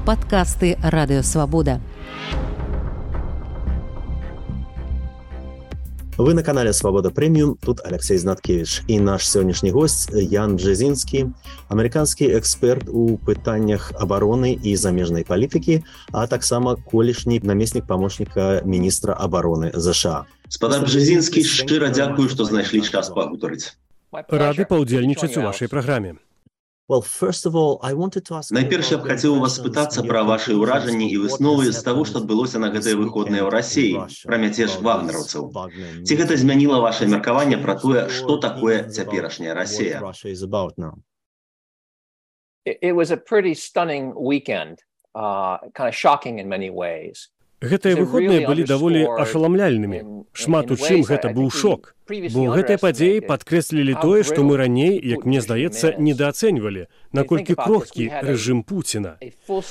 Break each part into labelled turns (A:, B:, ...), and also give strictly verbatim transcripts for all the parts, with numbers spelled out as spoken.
A: Падкасты Радыёвабода.
B: Вы на канале «Свобода Премиум», тут Алексей Знаткевич. И наш сегодняшний гость Ян Бжезинский, американский эксперт у пытаннях обороны и замежной политики, а таксама колішні намеснік памочніка міністра обороны США.
C: Спадар Бжезинский, шчыра дзякую, што знайшлі час пагутарыць.
D: Рады паўдзельнічаць у вашай праграме.
C: Найперш я б хацеў у вас спытацца пра вашы ўражанні і высновы з таго, што адбылося на гэтыя выходныя ў Расіі, пра мяцеж вагнераўцаў. Ці гэта змяніла вашае меркаванне пра тое, што такое цяперашняя Расія?
E: It was a pretty stunning weekend, uh, kind of shocking in many ways.
D: Гэтыя выходныя былі даволі ашаламляльнымі. Шмат у чым гэта быў шок. Бо гэтыя падзеі падкрэслілі тое, што мы раней, як мне здаецца, недаацэньвалі, наколькі крохкі рэжым Пуціна.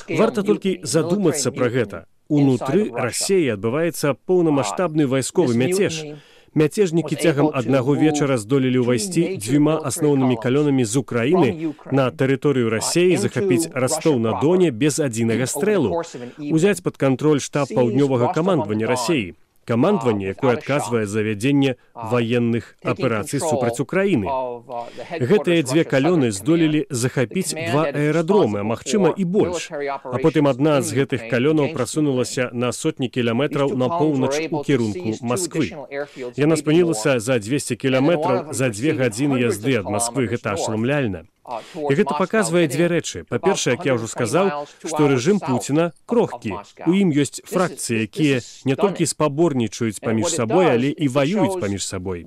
D: Варта толькі задумацца пра гэта. Унутры Расіі адбываецца поўнамаштабны вайсковы мяцеж. Мяцежнікі цягам аднаго вечара здолелі ўвайсці дзвюма асноўнымі калёнамі з Украіны на тэрыторыю Расіі, захапіць Ростов-на-Доне без адзінага стрэлу, узяць пад кантроль штаб паўднёвага камандавання Расіі. Камандаванне, якое адказвае за вядзенне ваенных аперацый супраць Украіны. Гэтыя дзве калёны здолелі захапіць два аэрадромы, а магчыма і больш. А потым адна з гэтых калёнаў прасунулася на сотні кіламетраў на поўнач у кірунку Масквы. Яна спынілася за дзвесце кіламетраў за дзве гадзіны язды ад Масквы. Гэта ашаламляльна. І гэта паказвае дзве рэчы. Па-першае, як я ўжо сказаў, што рэжым Пуціна крохкі. У ім ёсць фракцыі, якія не толькі спаборнічаюць паміж сабой, але і ваююць паміж сабой.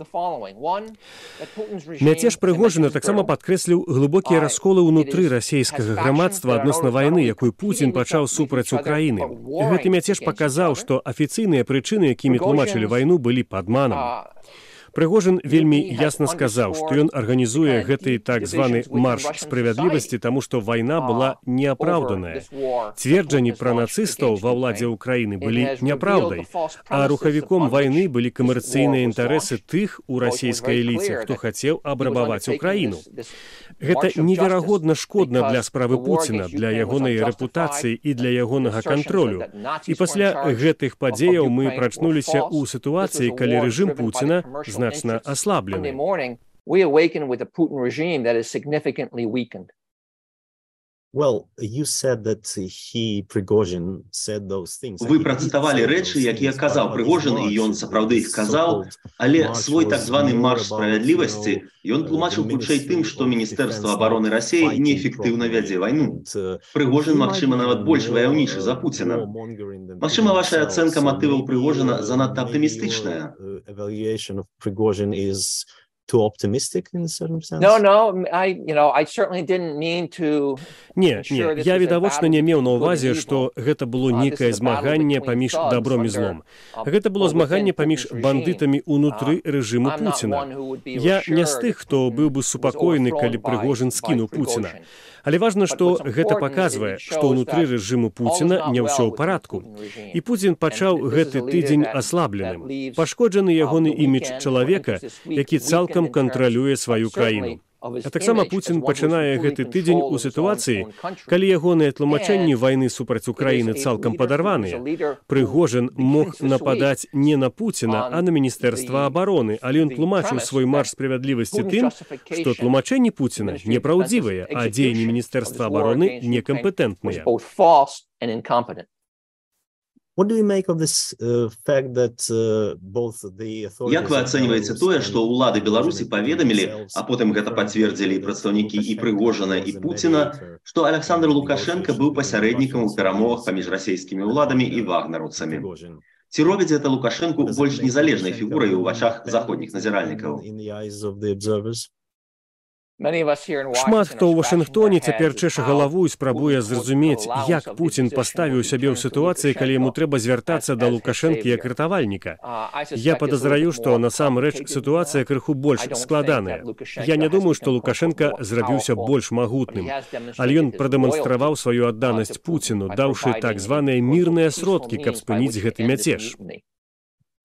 D: Мяцеж Прыгожына таксама падкрэсліў глыбокія расколы ўнутры расійскага грамадства адносна вайны, якую Пуцін пачаў супраць Украіны. Гэты мяцеж паказаў, што афіцыйныя прычыны, якімі тлумачылі вайну, былі падманам. Прыгожын вельмі ясна сказаў, што ён арганізуе гэты так званы марш справядлівасці, таму што вайна была неапраўданая. Цверджанні пра нацыстаў ва ўладзе Украіны былі няпраўдай, а рухавіком вайны былі камерцыйныя інтарэсы тых у расійскай эліце, хто хацеў абрабаваць Украіну. Гэта неверагодна шкодна для справы Пуціна, для ягонай рэпутацыі і для ягонага кантролю. І пасля гэтых падзеяў мы прачнуліся ў сітуацыі, калі рэжым Пуціна значна аслаблены.
C: Вы працытавалі рэчы, якія казаў Прыгожын, і ён сапраўды іх казаў, але свой так званы марш справядлівасці ён тлумачыў хутчэй тым, што Міністэрства абароны Расіі неэфектыўна вядзе вайну. Прыгожын, магчыма, нават больш ваяўнічы за Пуціна. Магчыма, ваша ацэнка матываў Прыгожына занадта аптымістычная?
B: Too optimistic in a certain sense?
E: No, no, I, you know, I certainly didn't mean to...
D: Не, не, я відавочна не меў на ўвазе, што гэта было нейкае змаганне паміж добром і злом. Гэта было змаганне паміж бандытамі ўнутры рэжыму Пуціна. Я не з тых, хто быў бы супакоены, калі Прыгожын скінуў Пуціна. Але важна, што гэта паказвае, што ўнутры рэжыму Пуціна не ўсё ў парадку. І Пуцін пачаў гэты тыдзень аслабленым. Пашкоджаны ягоны імідж чалавека, які цалкам кантралюе сваю краіну. А таксама Пуцін пачынае гэты тыдзень у сітуацыі, калі ягоныя тлумачэнні вайны супраць Украіны цалкам падарваныя. Прыгожын мог нападаць не на Пуціна, а на Міністэрства абароны, але ён тлумачыў свой марш справядлівасці тым, што тлумачэнні Пуціна непраўдзівыя, а дзеянні Міністэрства абароны некампетэнтныя.
B: What do you make of this uh, fact that uh, both the authorities...
C: Як вы ацэньваеце тое, што ўлады Беларусі паведамілі, а потым гэта пацвердзілі прадстаўнікі і Прыгожына, і Пуціна, што Александр Лукашенко быў пасярэднікам у перамовах паміж расійскімі ўладамі і вагнераўцамі? Ці робіць гэта Лукашенку больш незалежнай фігурай у вачах заходніх назіральнікаў?
D: Шмат хто ў Вашынгтоне цяпер чэша галаву і спрабуе зразумець, як Пуцін паставіў сябе ў сітуацыі, калі яму трэба звяртацца да Лукашэнкі як ратавальніка. Я падазраю, што насамрэч сітуацыя крыху больш складаная. Я не думаю, што Лукашенка зрабіўся больш магутным, але ён прадэманстраваў сваю адданасць Пуціну, даўшы так званыя мірныя сродкі, каб спыніць гэты мяцеж.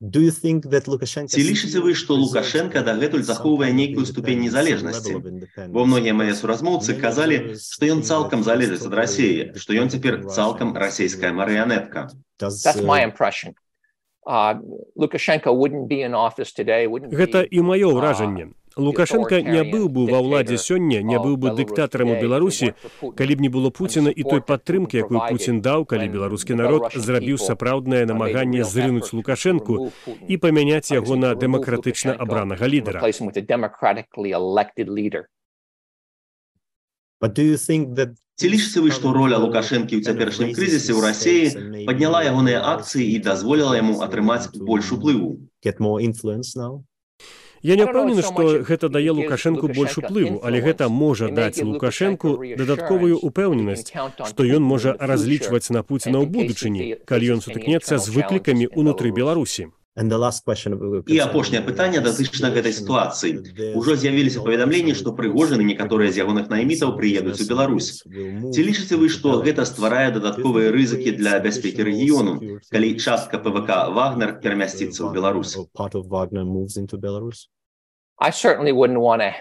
C: Ці лічыце вы, што Лукашенка дагэтуль захоўвае нейкую ступень незалежнасці? Бо многія мае суразмоўцы казалі, што ён цалкам залежыць ад Расіі, што ён цяпер цалкам расійская марыянетка.
E: That's my impression. Uh, Lukashenko wouldn't be in office today, wouldn't
D: Гэта
E: be,
D: і маё ўражанне. Лукашенка не быў бы ва ўладзе сёння, не быў бы дыктатарам у Беларусі, калі б не было Пуціна і той падтрымкі, якую Пуцін даў, калі беларускі народ зрабіў сапраўднае намаганне зрынуць Лукашэнку і памяняць яго на дэмакратычна абранага лідара.
C: Ці лічыце вы, што роля Лукашэнкі ў цяперашнім крызісе ў Расіі падняла ягоныя акцыі і дазволіла яму атрымаць больш уплыву?
D: Я не ўпэўнены, што гэта дае Лукашэнку больш уплыву, але гэта можа даць Лукашэнку дадатковую ўпэўненасць, што ён можа разлічваць на Пуціна ў будучыні, калі ён сутыкнецца з выклікамі ўнутры Беларусі.
C: І апошняе пытанне датычна гэтай сітуацыі. Ужо з'явіліся паведамленні, што Прыгожин і некаторыя з ягоных наймітаў прыедуць у Беларусь. Ці лічыце вы, што гэта стварае дадатковыя рызыкі для бяспекі рэгіёну, калі частка ПВК «Вагнер» перамясціцца ў Беларусь?
E: I certainly wouldn't want to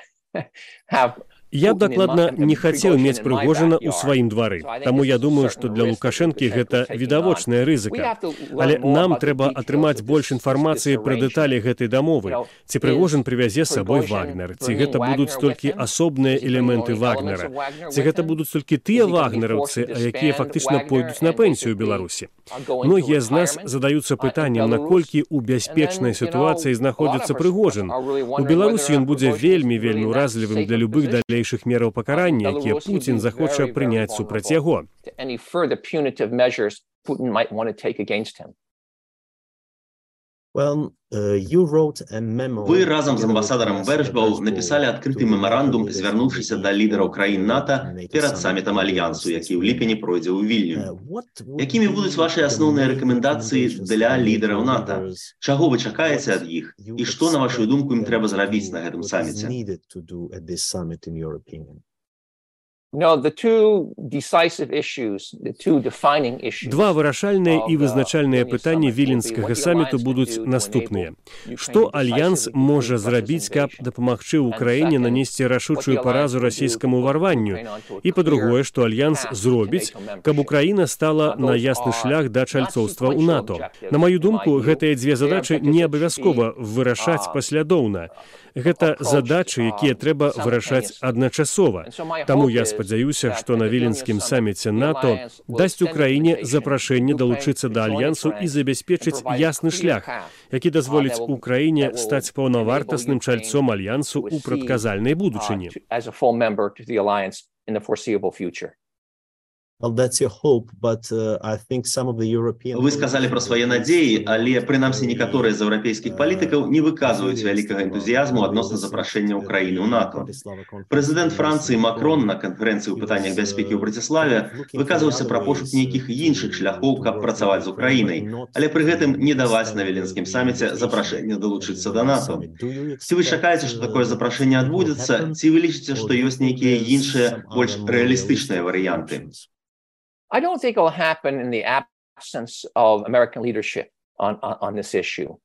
E: have
D: Я б дакладна не хацеў мець Прыгожина ў сваім двары. Таму я думаю, што для Лукашэнкі гэта відавочная рызыка. Але нам трэба атрымаць больш інфармацыі пра дэталі гэтай дамовы. Ці Прыгожин прывязе з сабой Вагнер, ці гэта будуць толькі асобныя элементы Вагнера, ці гэта будуць толькі тыя вагнераўцы, якія фактычна пойдуць на пенсію ў Беларусі. Многія з нас задаюцца пытаннем, наколькі ў бяспечнай сітуацыі знаходзіцца Прыгожин. У Беларусі ён будзе вельмі-вельмі ўразлівым для любых далей мераў пакарання, якія Пуцін захоча прыняць супраць яго.
C: Вы разам з амбасадарам Вершбау напісалі адкрыты мемарандум, звярнуўшыся да лідараў краін НАТО перад самітам Альянсу, які ў ліпені пройдзе ў Вільню. Якімі будуць вашы асноўныя рэкамендацыі для лідараў НАТО? Чаго вы чакаеце ад іх? І што, на вашу думку, ім трэба зрабіць на гэтым саміце?
E: No, the two decisive issues, the two defining issues.
D: Два вырашальныя і вызначальныя пытанні віленскага саміту будуць наступныя. Што Альянс можа зрабіць, каб дапамагчы ўкраіне нанесці рашучую паразу расійскаму ўварванню? І, па-другое, што Альянс зробіць, каб Украіна стала на ясны шлях да чальцоўства ў НАТО? На маю думку, гэтыя дзве задачы не абавязкова вырашаць паслядоўна. Гэта задачы, якія трэба вырашаць адначасова. Таму я спадзяюся, што на віленскім саміце НАТО дасць Украіне запрашэнне далучыцца да Альянсу і забяспечыць ясны шлях, які дазволіць Украіне стаць паўнавартасным чальцом Альянсу ў прадказальнай будучыні.
C: Вы сказалі пра свае надзеі, але, прынамсі, некаторыя з еўрапейскіх палітыкаў не выказваюць вялікага энтузіязму адносна запрашэння Украіны ў НАТО. Прэзідэнт Францыі Макрон на канферэнцыі ў пытаннях бяспекі ў Браціславе выказваўся пра пошук нейкіх іншых шляхоў, каб працаваць з Украінай, але пры гэтым не даваць на віленскім саміце запрашэнне далучыцца да НАТО. Ці вы чакаеце, што такое запрашэнне адбудзецца, ці вы лічыце, што ёсць нейкія іншыя, больш рэалістычныя варыянты?
E: I don't think it will happen in the absence of American leadership on, on, on this issue.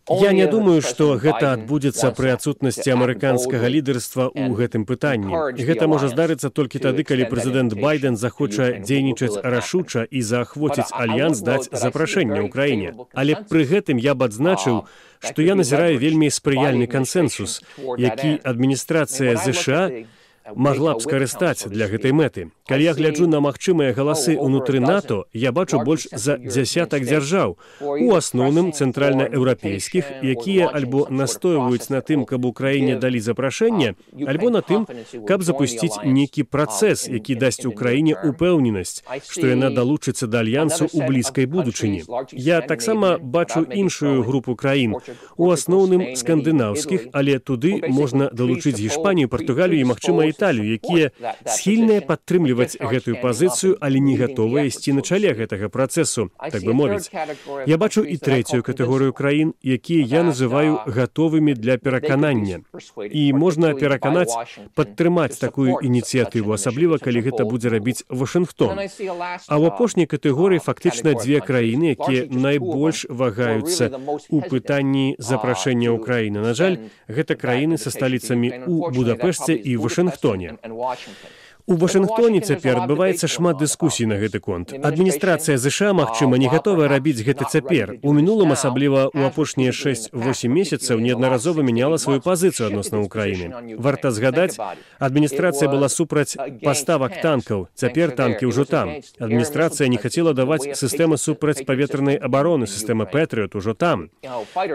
D: Я не думаю, што гэта адбудзецца пры адсутнасці амерыканскага лідарства ў гэтым пытанні. Гэта можа здарыцца толькі тады, калі прэзідэнт Байден захоча дзейнічаць рашуча і заахвоціць Альянс даць запрашэнне ўкраіне. Але пры гэтым я б адзначыў, што я назіраю вельмі спрыяльны кансэнсус, які адміністрацыя ЗША магла б скарыстаць для гэтай мэты. Калі я гляджу на магчымыя галасы ўнутры НАТО, я бачу больш за дзясятак дзяржаў, у асноўным цэнтральнаеўрапейскіх, якія альбо настойваюць на тым, каб Украіне далі запрашэнне, альбо на тым, каб запусціць нейкі працэс, які дасць Украіне упэўненасць, што яна далучыцца да Альянсу ў блізкай будучыні. Я таксама бачу іншую групу краін, у асноўным скандынаўскіх, але туды можна далучыць Гішпанію, Партугалію і, магчыма, Італію, якія схільныя падтрымліваць гэтую пазіцыю, але не гатовыя ісці на чале гэтага працэсу, так бы мовіць. Я бачу і трэцюю катэгорыю краін, якія я называю гатовымі для пераканання. І можна пераканаць, падтрымаць такую ініцыятыву, асабліва, калі гэта будзе рабіць Вашынгтон. А ў апошняй катэгорыі фактычна дзве краіны, якія найбольш вагаюцца ў пытанні запрашэння ўкраіны. На жаль, гэта краіны са сталіцамі ў Будапешце і Вашынгтоне. У Вашынгтоне цяпер адбываецца шмат дыскусій на гэты конт. Адміністрацыя ЗША, магчыма, не гатовая рабіць гэта цяпер. У мінулым, асабліва ў апошнія шэсць-восем месяцаў, неаднаразова мяняла сваю пазіцыю адносна ўкраіны. Варта згадаць, адміністрацыя была супраць паставак танкаў. Цяпер танкі ўжо там. Адміністрацыя не хацела даваць сістэмы супрацьпаветранай абароны, сістэма Пэтрыот ужо там.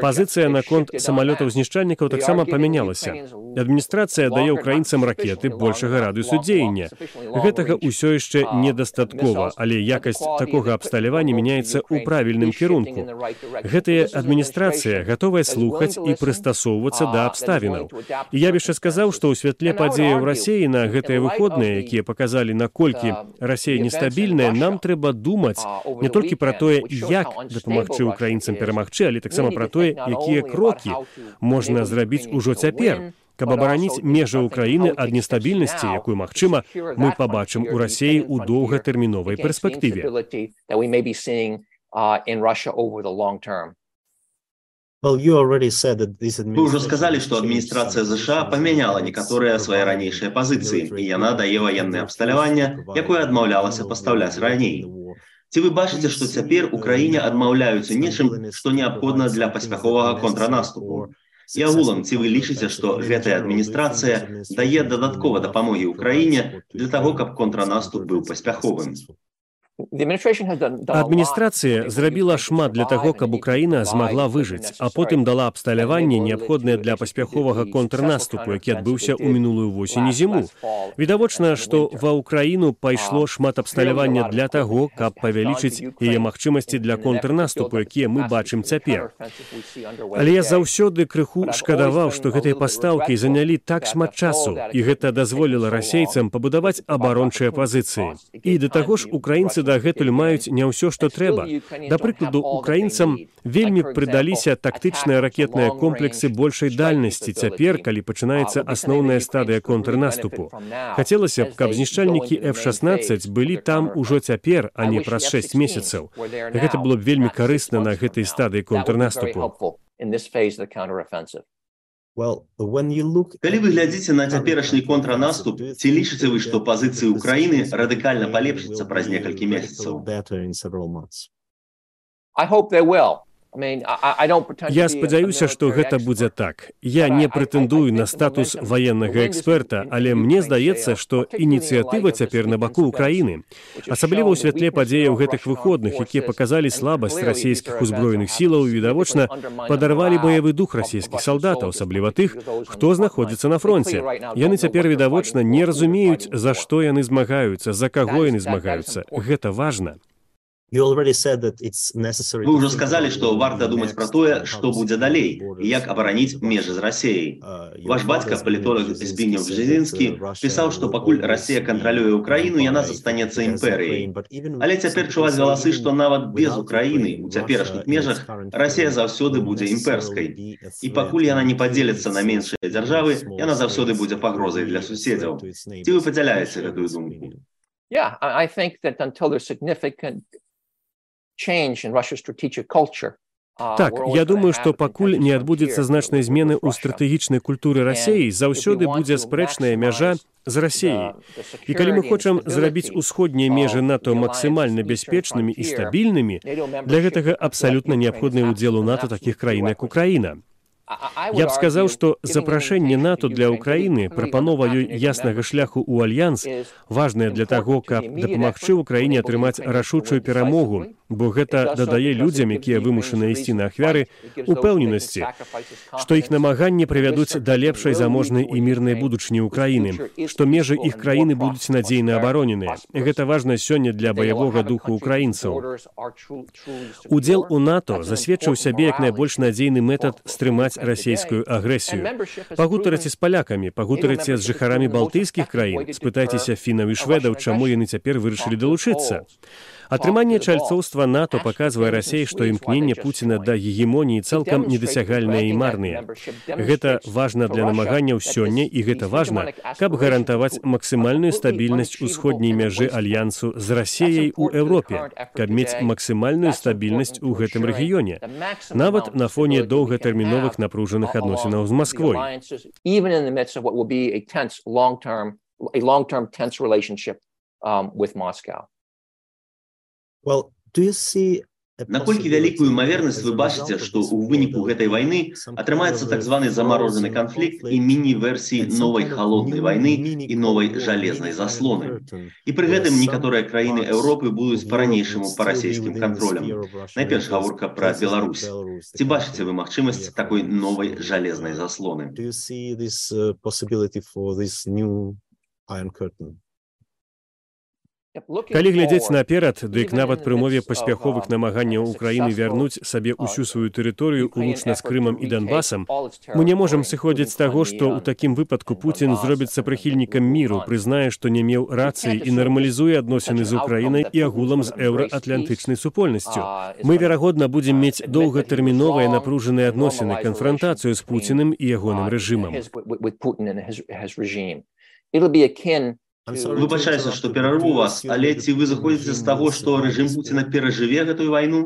D: Пазіцыя наконт самалётаў-знішчальнікаў таксама памянялася. Адміністрацыя дае ўкраінцам ракеты большага радыусу дзеяння. Гэтага ўсё яшчэ недастаткова, але якасць такога абсталявання мяняецца ў правільным кірунку. Гэтая адміністрацыя гатовая слухаць і прыстасоўвацца да абставінаў. І я б яшчэ сказаў, што ў святле падзеяў Расіі на гэтыя выходныя, якія паказалі, наколькі Расія нестабільная, нам трэба думаць не толькі пра тое, як дапамагчы ўкраінцам перамагчы, але таксама пра тое, якія крокі можна зрабіць ужо цяпер, каб абараніць межы ўкраіны ад нестабільнасці, якую, магчыма, мы пабачым у Расіі ў доўгатэрміновай перспектыве.
C: Вы уже сказали, что администрация ЗША поменяла некоторые свои ранейшие позиции, и яна дае военное абсталяванне, якое адмаўлялася пастаўляць раней. Ці вы бачыце, што цяпер Украіне адмаўляюцца нечым, што неабходна для паспяховага контрнаступу? І агулам, ці вы лічыце, што гэтая адміністрацыя дае дадаткова дапамогі ўкраіне для таго, каб контрнаступ быў паспяховым?
D: Адміністрацыя зрабіла шмат для таго, каб Украіна змагла выжыць, а потым дала абсталяванне, неабходнае для паспяховага контрнаступу, які адбыўся ў мінулую восень і зіму. Відавочна, што ва Украіну пайшло шмат абсталявання для таго, каб павялічыць яе магчымасці для контрнаступу, якія мы бачым цяпер. Але я заўсёды крыху шкадаваў, што гэтыя пастаўкі занялі так шмат часу, і гэта дазволіла расейцам пабудаваць абарончыя пазіцыі. І да таго ж украінцы дагэтуль маюць не ўсё, што трэба. Да прыкладу, украінцам вельмі прыдаліся тактычныя ракетныя комплексы большай дальнасці цяпер, калі пачынаецца асноўная стадыя контрнаступу. Хацелася б, каб знішчальнікі эф шаснаццаць былі там ужо цяпер, а не праз шэсць месяцаў. Гэта было б вельмі карысна на гэтай стадыі контрнаступу.
C: Калі вы глядзіце на цяперашні контрнаступ, ці лічыце вы, што пазіцыі ўкраіны радыкальна палепшыцца праз некалькі месяцаў?
D: Я спадзяюся, што гэта будзе так. Я не прэтэндую на статус ваеннага эксперта, але мне здаецца, што ініцыятыва цяпер на баку ўкраіны. Асабліва ў святле падзеяў гэтых выходных, якія паказалі слабасць расійскіх узброеных сілаў і, відавочна, падарвалі баявы дух расійскіх салдатаў, асабліва тых, хто знаходзіцца на фронце. Яны цяпер, відавочна, не разумеюць, за што яны змагаюцца, за каго яны змагаюцца. Гэта важна.
C: Вы уже сказали, что варта думать про тое, что будзе далей, и як абараніць межы з Расіяй. Ваш бацька, палітолог Збігнеў Бжезінскі, пісаў, што пакуль Расія кантралюе Украіну, яна застанецца імперыяй. Але цяпер чуваць галасы, што нават без Украіны у цяперашніх межах Расія заўсёды будзе імперскай. І пакуль яна не падзеліцца на меншыя дзяржавы, яна заўсёды будзе пагрозай для суседзяў. Ці вы падзяляеце гэтую думку?
E: Yeah, I think that until there's significant
D: Так, я думаю, што пакуль не адбудзецца значнай змены ў стратэгічнай культуры Расіі, заўсёды будзе спрэчная мяжа з Расіяй. І калі мы хочам зрабіць усходнія межы НАТО максімальна бяспечнымі і стабільнымі, для гэтага абсалютна неабходны ўдзел у НАТО такіх краін, як Украіна. Я б сказаў, што запрашэнне НАТО для Украіны, прапанова ёй яснага шляху ў альянс, важнае для таго, каб дапамагчы Украіне атрымаць рашучую перамогу, бо гэта дадае людзям, якія вымушаны ісці на ахвяры, упэўненасці, што іх намаганні прывядуць да лепшай заможнай і мірнай будучыні Украіны, што межы іх краіны будуць надзейна абароненыя. Гэта важна сёння для баявога духу украінцаў. Удзел у НАТО засведчыў сябе як найбольш надзейны метад стрымаць падтрымаць расійскую агрэсію. Пагутарыце з палякамі, пагутарыце з жыхарамі балтыйскіх краін, спытайцеся фінаў і шведаў, чаму яны цяпер вырашылі далучыцца. Атрыманне чальцоўства НАТО паказвае Расіі, што імкненне Пуціна да гегемоніі цалкам недасягальныя і марныя. Гэта важна для намаганняў сёння, і гэта важна, каб гарантаваць максімальную стабільнасць усходняй мяжы альянсу з Расіяй у Еўропе, каб мець максімальную стабільнасць у гэтым рэгіёне, нават на фоне доўгатэрміновых напружаных адносінаў з Масквой.
B: Well, do you see
C: Наколькі вялікую імавернасць вы бачыце, што ў выніку гэтай вайны атрымаецца так званы замарожаны канфлікт і міні-версіі новай халоднай вайны і новай жалезнай заслоны. І пры гэтым некаторыя краіны Еўропы будуць па-ранейшаму па расійскім кантролям. Найперш гаворка пра Беларусь. Ці бачыце вы магчымасць такой новай жалезнай заслоны?
B: Do you see this uh, possibility for this new Iron Curtain?
D: Калі глядзець наперад, дык нават пры умове паспяховых намаганняў Украіны вярнуць сабе ўсю сваю тэрыторыю улучна з Крымам і Донбасам, мы не можам сыходзіць з таго, што ў такім выпадку Пуцін зробіцца прыхільнікам міру, прызнае, што не меў рацыі і нармалізуе адносіны з Украінай і агулам з еўраатлантычнай супольнасцю. Мы, верагодна, будзем мець доўгатэрміновыя напружаныя адносіны, канфрантацыю з Пуціным і ягоным рэжымам.
C: Выбачаюся, што перарву вас, але ці вы заходзіце з таго, што рэжым Пуціна перажыве гэтую вайну?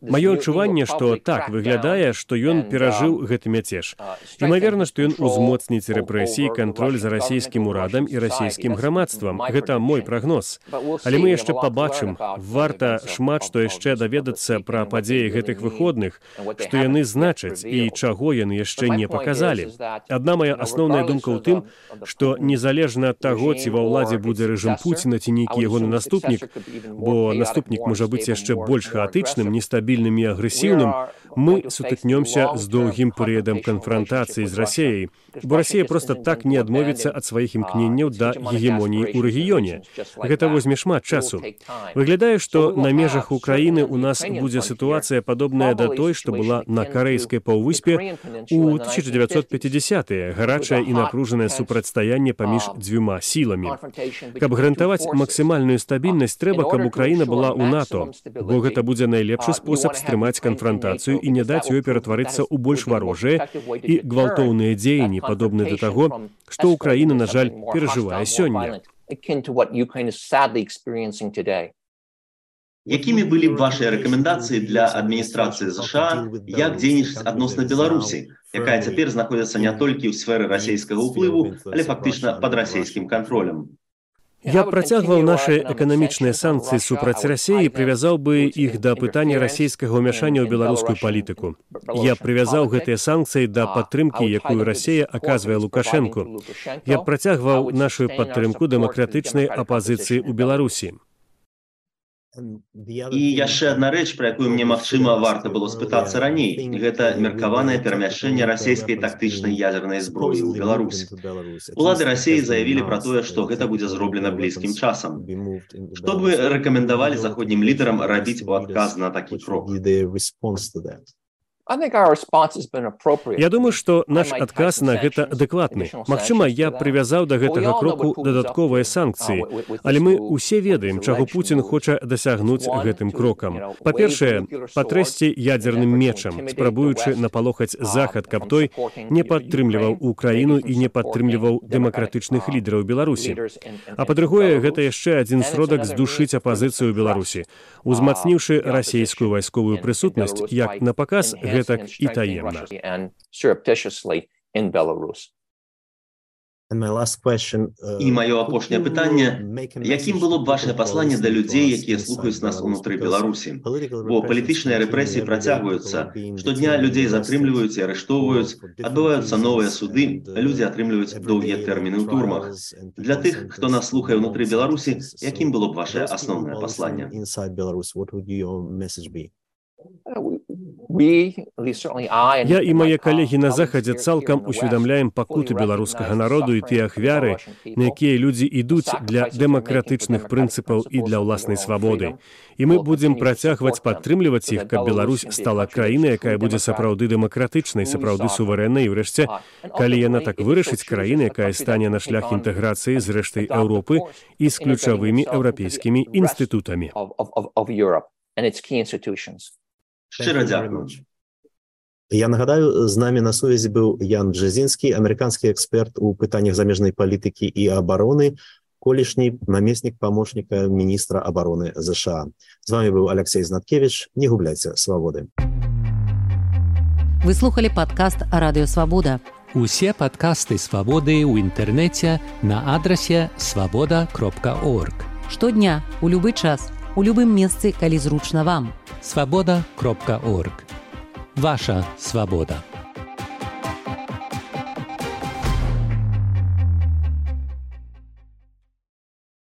D: Маё адчуванне, што так выглядае, што ён перажыў гэты мяцеж. Імаверна, што ён узмоцніць рэпрэсіі, кантроль за расійскім урадам і расійскім грамадствам. Гэта мой прагноз. Але мы яшчэ пабачым, варта шмат што яшчэ даведацца пра падзеі гэтых выходных, што яны значаць і чаго яны яшчэ не паказалі. Адна мая асноўная думка ў тым, што незалежна ад таго, ці ва ўладзе будзе рэжым Пуціна, ці нейкі ягоны наступнік, бо наступнік можа быць яшчэ больш хаатычным, нестабільным і агрэсіўным, мы сутыкнёмся з доўгім перыядам канфрантацыі з Расіяй, бо Расія проста так не адмовіцца ад сваіх імкненняў да гегемоніі ў рэгіёне. Гэта возьме шмат часу. Выглядае, што на межах Украіны ў нас будзе сітуацыя падобная да той, што была на карэйскай паўвыспе ў тысяча дзевяцьсот пяцідзясятыя, гарачае і напружанае супрацьстаянне паміж дзвюма сіламі. Каб гарантаваць максімальную стабільнасць, трэба, каб Украіна была ў НАТО, бо гэта будзе найлепшы спосаб стрымаць канфрантацыю і не даць ёй ператварыцца ў больш варожыя і гвалтоўныя дзеянні, падобныя да таго, што Украіна, на жаль, перажывае сёння.
C: Якімі былі б вашыя рэкамендацыі для адміністрацыі ЗША, як дзейнічаць адносна Беларусі, якая цяпер знаходзіцца не толькі ў сферы расійскага ўплыву, але фактычна пад расійскім кантролем?
D: Я працягваў нашы эканамічныя санкцыі супраць Расіі і прывязаў бы іх да пытання расійскага ўмяшання ў беларускую палітыку. Я прывязаў гэтыя санкцыі да падтрымкі, якую Расія аказвае Лукашэнку. Я працягваў нашу падтрымку дэмакратычнай апазіцыі ў Беларусі.
C: І яшчэ адна рэч, пра якую мне, магчыма, варта было спытацца раней. Гэта меркаванае перамяшчэнне расійскай тактычнай ядзернай зброі ў Беларусь. Улады Расіі заявілі пра тое, што гэта будзе зроблена блізкім часам. Што б вы рэкамендавалі заходнім лідарам рабіць у адказ на такі крок?
D: Я думаю, што наш адказ на гэта адэкватны. Магчыма, я прывязаў да гэтага кроку дадатковыя санкцыі, але мы ўсе ведаем, чаго Пуцін хоча дасягнуць гэтым крокам. Па-першае, патрэсці ядзерным мечам, спрабуючы напалохаць Захад, каб той не падтрымліваў Украіну і не падтрымліваў дэмакратычных лідараў Беларусі. А па-другое, гэта яшчэ адзін сродак здушыць апазіцыю ў Беларусі, узмацніўшы расійскую вайсковую прысутнасць як на паказ, гэтак і таемна.
C: І маё апошняе пытанне, якім было б вашае пасланне да людзей, якія слухаюць нас унутры Беларусі? Бо палітычныя рэпрэсіі працягваюцца, штодня людзей затрымліваюць і арыштоўваюць, адбываюцца новыя суды, людзі атрымліваюць доўгія тэрміны ў турмах. Для тых, хто нас слухае ўнутры Беларусі, якім было б вашае асноўнае пасланне?
D: Я і мае калегі на захадзе цалкам усведамляем пакуты беларускага народу і тыя ахвяры, на якія людзі ідуць для дэмакратычных прынцыпаў і для ўласнай свабоды. І мы будзем працягваць падтрымліваць іх, каб Беларусь стала краінай, якая будзе сапраўды дэмакратычнай, сапраўды суверэннай, і ўрэшце, калі яна так вырашыць, краіна, якая стане на шлях інтэграцыі з рэштай Еўропы і з ключавымі еўрапейскімі інстытутамі.
C: Шчыра дзякую.
B: Я нагадаю, з намі на сувязі быў Ян Бжезінскі, амерыканскі эксперт у пытаннях замежнай палітыкі і абароны, колішні намеснік памочніка міністра абароны ЗША. З вами быў Алексей Знаткевич. Не губляйце свабоды.
A: Вы слухали падкаст «Радыё Свабода».
F: Усе падкасты «Свабоды» ў інтэрнэце на адрасе свабода кропка орг.
A: Штодня, у любы час, у любым месцы, калі зручна вам.
F: свабода кропка орг. Ваша свабода.